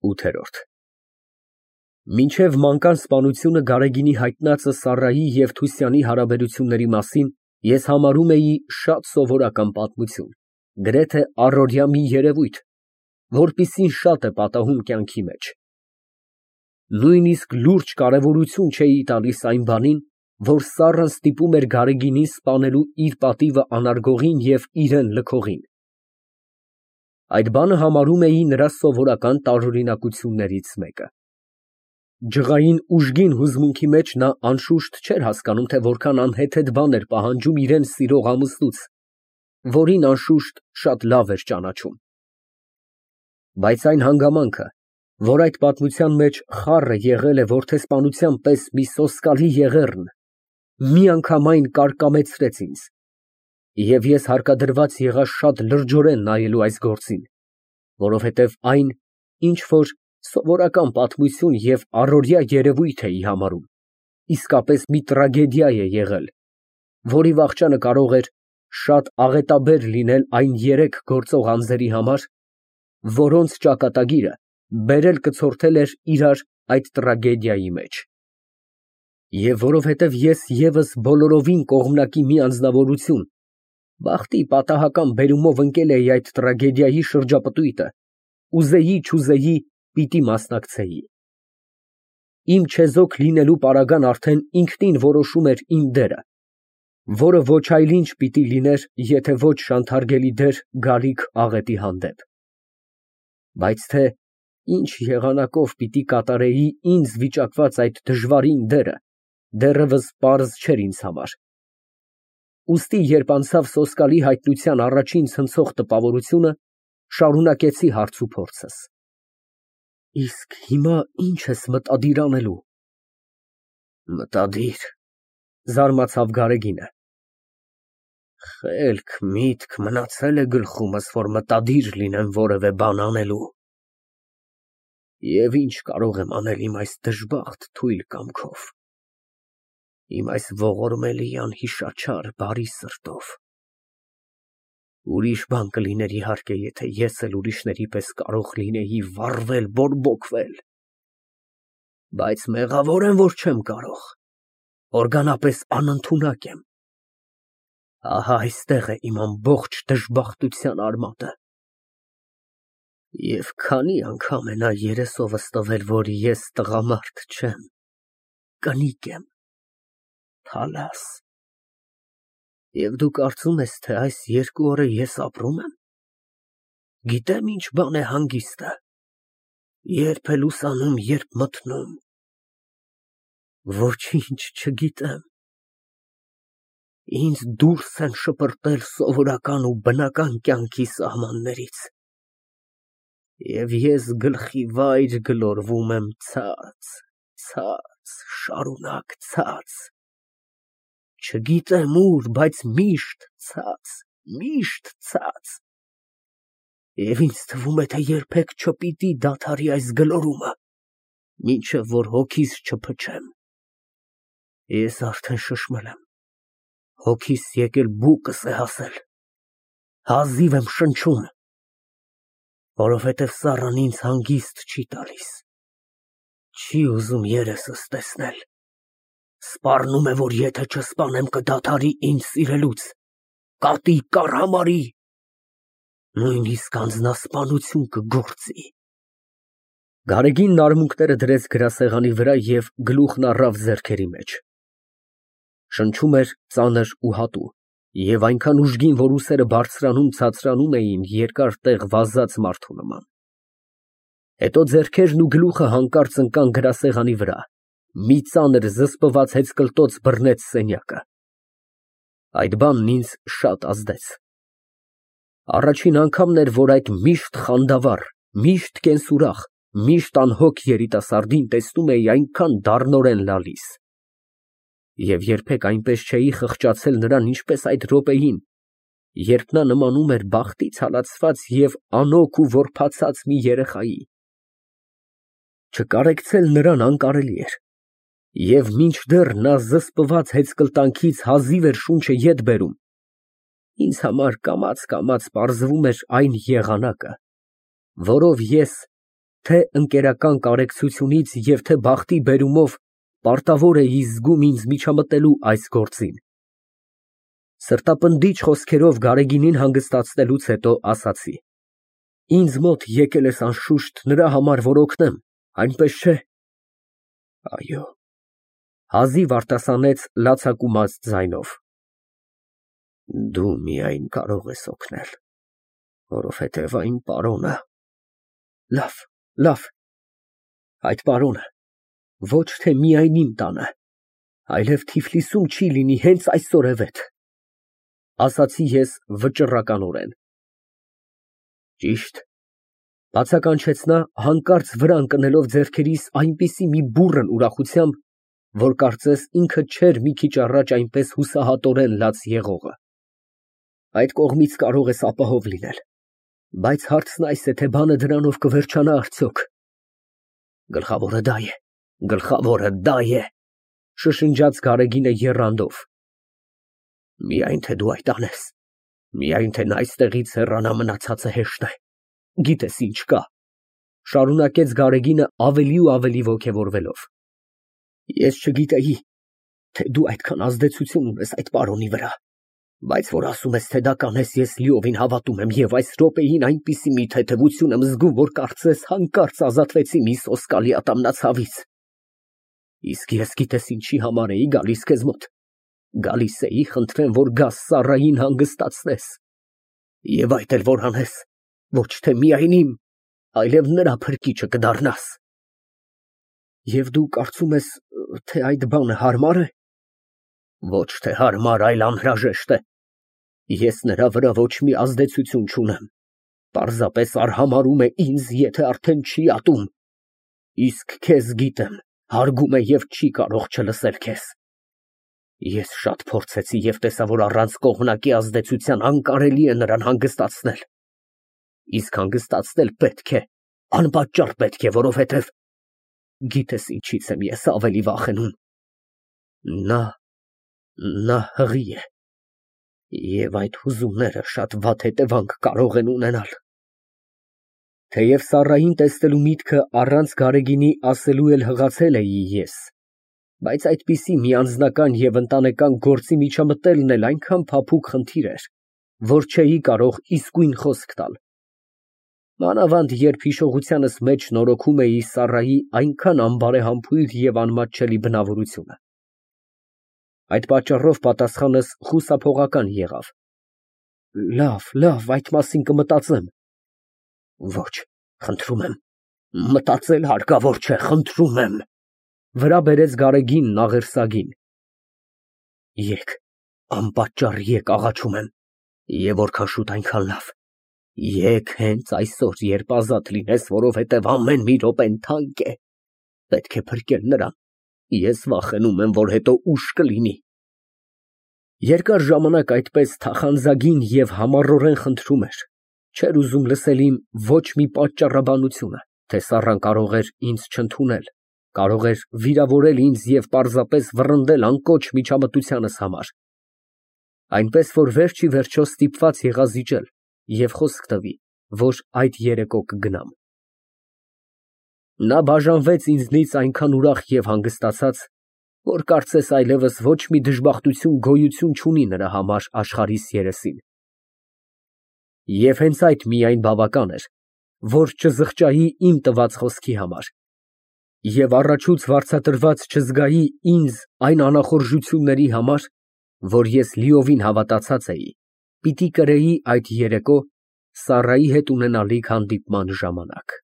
8։ Մինչև մանկան սպանությունը Գարեգինի հայտնածը Սառայի և Թուսյանի հարաբերությունների մասին ես համարում էի շատ սովորական պատմություն, գրեթե առօրյա մի երևույթ, որպիսին շատ է պատահում կյանքի մեջ։ Նույնիսկ լուրջ կարևորություն չէի տալիս այն բանին, որ Սառան ստիպում էր Գարեգինին սպանելու իր պատիվը անարգողին և իրան լքողին։ Այդ բանը համարում էի նրա սովորական տարօրինակություններից մեկը։ Ջղային ուժգին հուզմունքի մեջ նա անշուշտ չէր հասկանում, թե որքան անհեթեթ բան էր պահանջում իրան սիրող ամուսնուց, որին անշուշտ շատ լավ էր ճանաչում։ Բայց այն հանգամանքը, որ այդ պատմության մեջ խառը եղել է որդեսպանության պես մի սոսկալի եղեռն, միանգամայն կարկամեցրեց ինձ, և ես հարկադրված եղա շատ լրջորեն նայելու այս գործին, որովհետև այն ինչ որ սովորական պատմություն և առօրյա երևույթ էի համարում, իսկապես մի տրագեդիա է եղել, որի վախճանը կարող էր շատ աղետաբեր լինել այն երեք գործող անձերի համար, որոնց ճակատագիրը բերել կցորդել էր իրար այդ տրագեդիայի մեջ։ Եվ որովհետև ես ևս բոլորովին կողմնակի մի անձնավորություն, բախտի պատահական բերումով ընկել էի այդ տրագեդիայի շրջապտույտը, ուզեի-չուզեի, պիտի մասնակցեի։ Իմ չեզոք լինելու պարագան արդեն ինքնին որոշում էր իմ դերը, որը ոչ այլ ինչ պիտի լիներ, եթե ոչ շանթարգելի դեր գալիք աղետի հանդեպ։ Բայց թե ինչ եղանակով պիտի կատարեի ինձ վիճակված այդ դժվարին դերը, դեռևս պարզ չէր ինձ համար։ Ուստի երբ անցավ սոսկալի հայտնության առաջին ցնցող տպավորությունը, շարունակեցի հարց ու փորձս։ Իսկ հիմա ի՞նչ ես մտադիր անելու։ Մտադիր, զարմացավ Գարեգինը։ Խելք, միտք մնացել է գլխումս, որ մտադիր լինեմ որևէ բան անելու։ Եվ ինչ կարող եմ անել իմ այս դժբախտ թույլ կամքով, իմ այս ողորմելի անհիշաչար բարի սրտով։ Ուրիշ բան կլիներ իհարկե, եթե ես էլ ուրիշների պես կարող լինեի վառվել, բորբոքվել, բայց մեղավոր եմ, որ չեմ կարող, օրգանապես անընդունակ եմ։ Ահա այստեղ է իմ ամբողջ դժբախտության արմատը։ Եվ քանի անգամ է նա երեսովս տվել, որ ես տղամարդ չեմ, կնիկ եմ, փալաս։ Եվ դու կարծում ես, թե այս 2 օրը ես ապրում եմ։ Գիտեմ ինչ բան է հանգիստը, երբ է լուսանում, երբ մթնում։ Ոչինչ չգիտեմ։ Ինձ դուրս են շպրտել սովորական ու բնական կյանքի սահմաններից, և ես գլխի վայր գլորվում եմ ցած, շարունակ ցած, չգիտեմ ուր, բայց միշտ ցած, և ինձ թվում է, թե երբեք չպիտի դադարի այս գլորումը, մինչև որ հոգիս չփչեմ։ Ես արդեն շշմել եմ, հոգիս եկել բուկս է հասել, հազիվ եմ շնչում, որովհետև Սառան ինձ հանգիստ չի տալիս, չի ուզում երեսս տեսնել, սպառնում է, որ եթե չսպանեմ, կդադարի ինձ սիրելուց, կատի, կառհամարի, նույնիսկ անձնասպանություն կգործի։ Գարեգինն արմունկները դրեց գրասեղանի վրա և գլուխն առավ ձեռքերի մեջ։ Շնչում էր ծանր ու հատու, և այնքան ուժգին, որ ուսերը բարձրանում էին երկար տեղ վազած մարդու նման։ Հետո ձեռքերն ու գլուխը հանկարծ ընկան գրասեղանի վրա, մի ծանր զսպված հեծկլտոց բռնեց սենյակը։ Այդ բանն ինձ շատ ազդեց։ Առաջին անգամն էր, որ այդ միշտ խանդավառ, միշտ կենսուրախ, միշտ անհոգ երիտասարդին տեսնում էի այնքան դառնորեն լալիս։ Եվ երբեք այնպես չէի խղճացել նրան, ինչպես այդ րոպեին, երբ նա նմանում էր բախտից հալածված և անօգ ու որբացած մի երեխայի։ Չկարեկցել նրան անկարելի էր, և մինչդեռ նա զսպված հեծկլտանքից հազիվ էր շունչը ետ բերում, ինձ համար կամաց֊կամաց պարզվում էր այն եղանակը, որով ես թե ընկերական կարեկցությունից և թե բախտի բերումով պարտավոր էի զգում ինձ միջամտելու այս գործին։ Սրտապնդիչ խոսքերով Գարեգինին հանգստացնելուց հետո ասացի. Ինձ մոտ եկել ես անշուշտ նրա համար, որ օգնեմ, այնպես չէ՞։ Այո, հազիվ արտասանեց լացակումած ձայնով։ Դու միայն կարող ես օգնել, որովհետև այն պարոնը… Լավ, այդ պարոնը ոչ թե միայն իմ տանը, այլև Թիֆլիսում չի լինի հենց այսօրևեթ, ասացի ես վճռականորեն։ Ճիշտ, բացականչեց նա, հանկարծ վրա ընկնելով ձեռքերիս այնպիսի մի բուռն ուրախությամբ, որ կարծես ինքը չէր մի քիչ առաջ այնպես հուսահատորեն լաց եղողը։ Այդ կողմից կարող ես ապահով լինել, բայց հարցն այս է, թե բանը դրանով կվերջանա արդյոք։ Գլխավորը դա է, շշնջաց Գարեգինը եռանդով։ Միայն թե դու այդ անես, միայն թե նա այստեղից հեռանա, մնացածը հեշտ է։ Գիտես ինչ կա, շարունակեց Գարեգինը ավելի ու ավելի ոգևորվելով։ Ես չգիտեի, թե դու այդքան ազդեցություն ունես այդ պարոնի վրա, բայց որ ասում ես, թե դա կանես, ես լիովին հավատում եմ և այս րոպեին այնպիսի մի թեթևություն եմ զգում, որ կարծես հանկարծ ազատվեցի մի սոսկալի ատամնացավից։ Իսկ ես գիտես ինչի համար էի գալիս քեզ մոտ։ Գալիս էի խնդրեմ, որ գաս Սառային հանգստացնես։ Եվ այդ էլ որ անես, ոչ թե միայն իմ, այլև նրա փրկիչը կդառնաս։ Եվ դու կարծում ես, թե այդ բանը հարմար է։ Ոչ թե հարմար, այլ անհրաժեշտ է։ Ես նրա վրա ոչ մի ազդեցություն չունեմ, պարզապես արհամարհում է ինձ, եթե արդեն չի ատում։ Իսկ քեզ գիտեմ, հարգում է և չի կարող չլսել քեզ։ Ես շատ փորձեցի և տեսա, որ առանց կողմնակի ազդեցության անկարելի է նրան հանգստացնել։ Իսկ հանգստացնել պետք է, անպատճառ պետք է, որովհետև գիտես ինչից եմ ես ավելի վախենում։ Նա հղի է, և այդ հուզումները շատ վատ հետևանք կարող են ունենալ։ Թեև Սառային տեսնելու միտքը առանց Գարեգինի ասելու էլ հղացել էի ես, բայց այդպիսի մի անձնական և ընտանեկան գործի միջամտելն էլ այնքան փափուկ խնդիր էր, որ չէի կարող իսկույն խոսք տալ։ Մանավանդ երբ հիշողությանս մեջ նորոգում էի Սառայի այնքան անբարեհամբույր և անմատչելի բնավորությունը։ Այդ պատճառով պատասխանս խուսափողական եղավ։ Լավ, այդ մասին կմտածեմ։ Ոչ, խնդրում եմ, մտածել հարկավոր չէ, խնդրում եմ, վրա բերեց Գարեգինն աղերսագին։ Եկ, անպատճառ եկ, աղաչում եմ, և որքան շուտ այնքան լավ։ Եկ հենց այսօր, երբ ազատ լինես, որովհետև ամեն մի րոպեն թանկ է, պետք է փրկել նրան, ես վախենում եմ, որ հետո ուշ կլինի։ Երկար ժամանակ այդպես թախանձագին և համառորեն խնդրում էր, չէր ուզում լսել իմ ոչ մի պատճառաբանությունը, թե Սառան կարող էր ինձ չընդունել, կարող էր վիրավորել ինձ և պարզապես վռնդել անկոչ միջամտությանս համար։ Այնպես որ վերջ ի վերջո ստիպված եղա զիջել և խոսք տվի, որ այդ երեկո կգնամ։ Նա բաժանվեց ինձնից այնքան ուրախ և հանգստացած, որ կարծես այլևս ոչ մի դժբախտություն գոյություն չունի նրա համար աշխարհիս երեսին։ Եվ հենց այդ միայն բավական էր, որ չզղջայի իմ տված խոսքի համար, և առաջուց վարձատրված չզգայի ինձ այն անախորժությունների համար, որ ես լիովին հավատացած էի, պիտի կրեի այդ երեկո Սառայի հետ ունենալիք հանդիպման ժամանակ։